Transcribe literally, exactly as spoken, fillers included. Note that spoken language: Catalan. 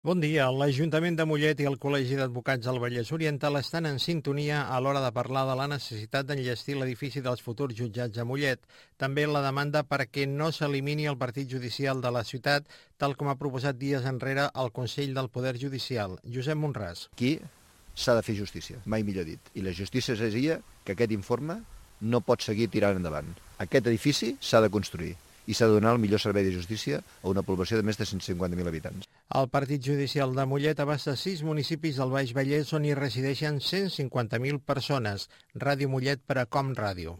Bon dia. L'Ajuntament de Mollet i el Col·legi d'Advocats del Vallès Oriental estan en sintonia a l'hora de parlar de la necessitat d'enllestir l'edifici dels futurs jutjats a Mollet. També la demanda perquè no s'elimini el partit judicial de la ciutat, tal com ha proposat dies enrere el Consell del Poder Judicial. Josep Monràs. Aquí s'ha de fer justícia, mai millor dit. I la justícia seria que aquest informe no pot seguir tirant endavant. Aquest edifici s'ha de construir i s'ha de donar el millor servei de justícia a una població de més de cent cinquanta mil habitants. El Partit Judicial de Mollet abasta sis municipis del Baix Vallès on hi resideixen cent cinquanta mil persones. Ràdio Mollet per a Com Ràdio.